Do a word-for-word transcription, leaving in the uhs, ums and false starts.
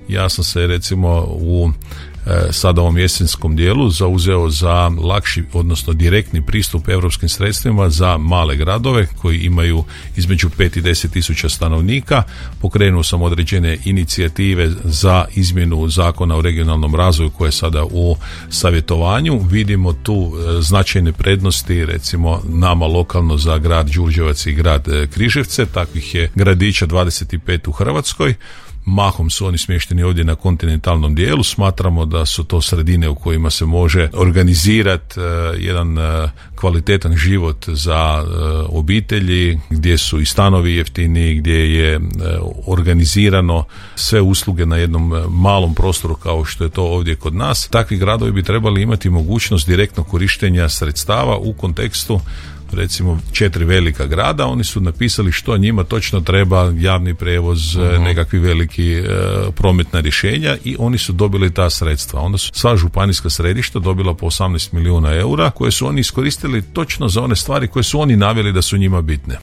Ja sam se recimo u sada ovom jesenskom dijelu zauzeo za lakši, odnosno direktni pristup europskim sredstvima za male gradove koji imaju između pet i deset tisuća stanovnika. Pokrenuo sam određene inicijative za izmjenu zakona o regionalnom razvoju koje je sada u savjetovanju. Vidimo tu značajne prednosti, recimo nama lokalno za grad Đurđevac i grad Križevce, takvih je gradića dvadeset pet u Hrvatskoj. Mahom su oni smješteni ovdje na kontinentalnom dijelu. Smatramo da su to sredine u kojima se može organizirati uh, jedan uh, kvalitetan život za uh, obitelji, gdje su i stanovi jeftini, gdje je uh, organizirano sve usluge na jednom uh, malom prostoru kao što je to ovdje kod nas. Takvi gradovi bi trebali imati mogućnost direktnog korištenja sredstava u kontekstu recimo četiri velika grada. Oni su napisali što njima točno treba, javni prijevoz, uh-huh. nekakvi veliki uh, prometna rješenja, i oni su dobili ta sredstva. Onda su sva županijska središta dobila po osamnaest milijuna eura koje su oni iskoristili točno za one stvari koje su oni naveli da su njima bitne.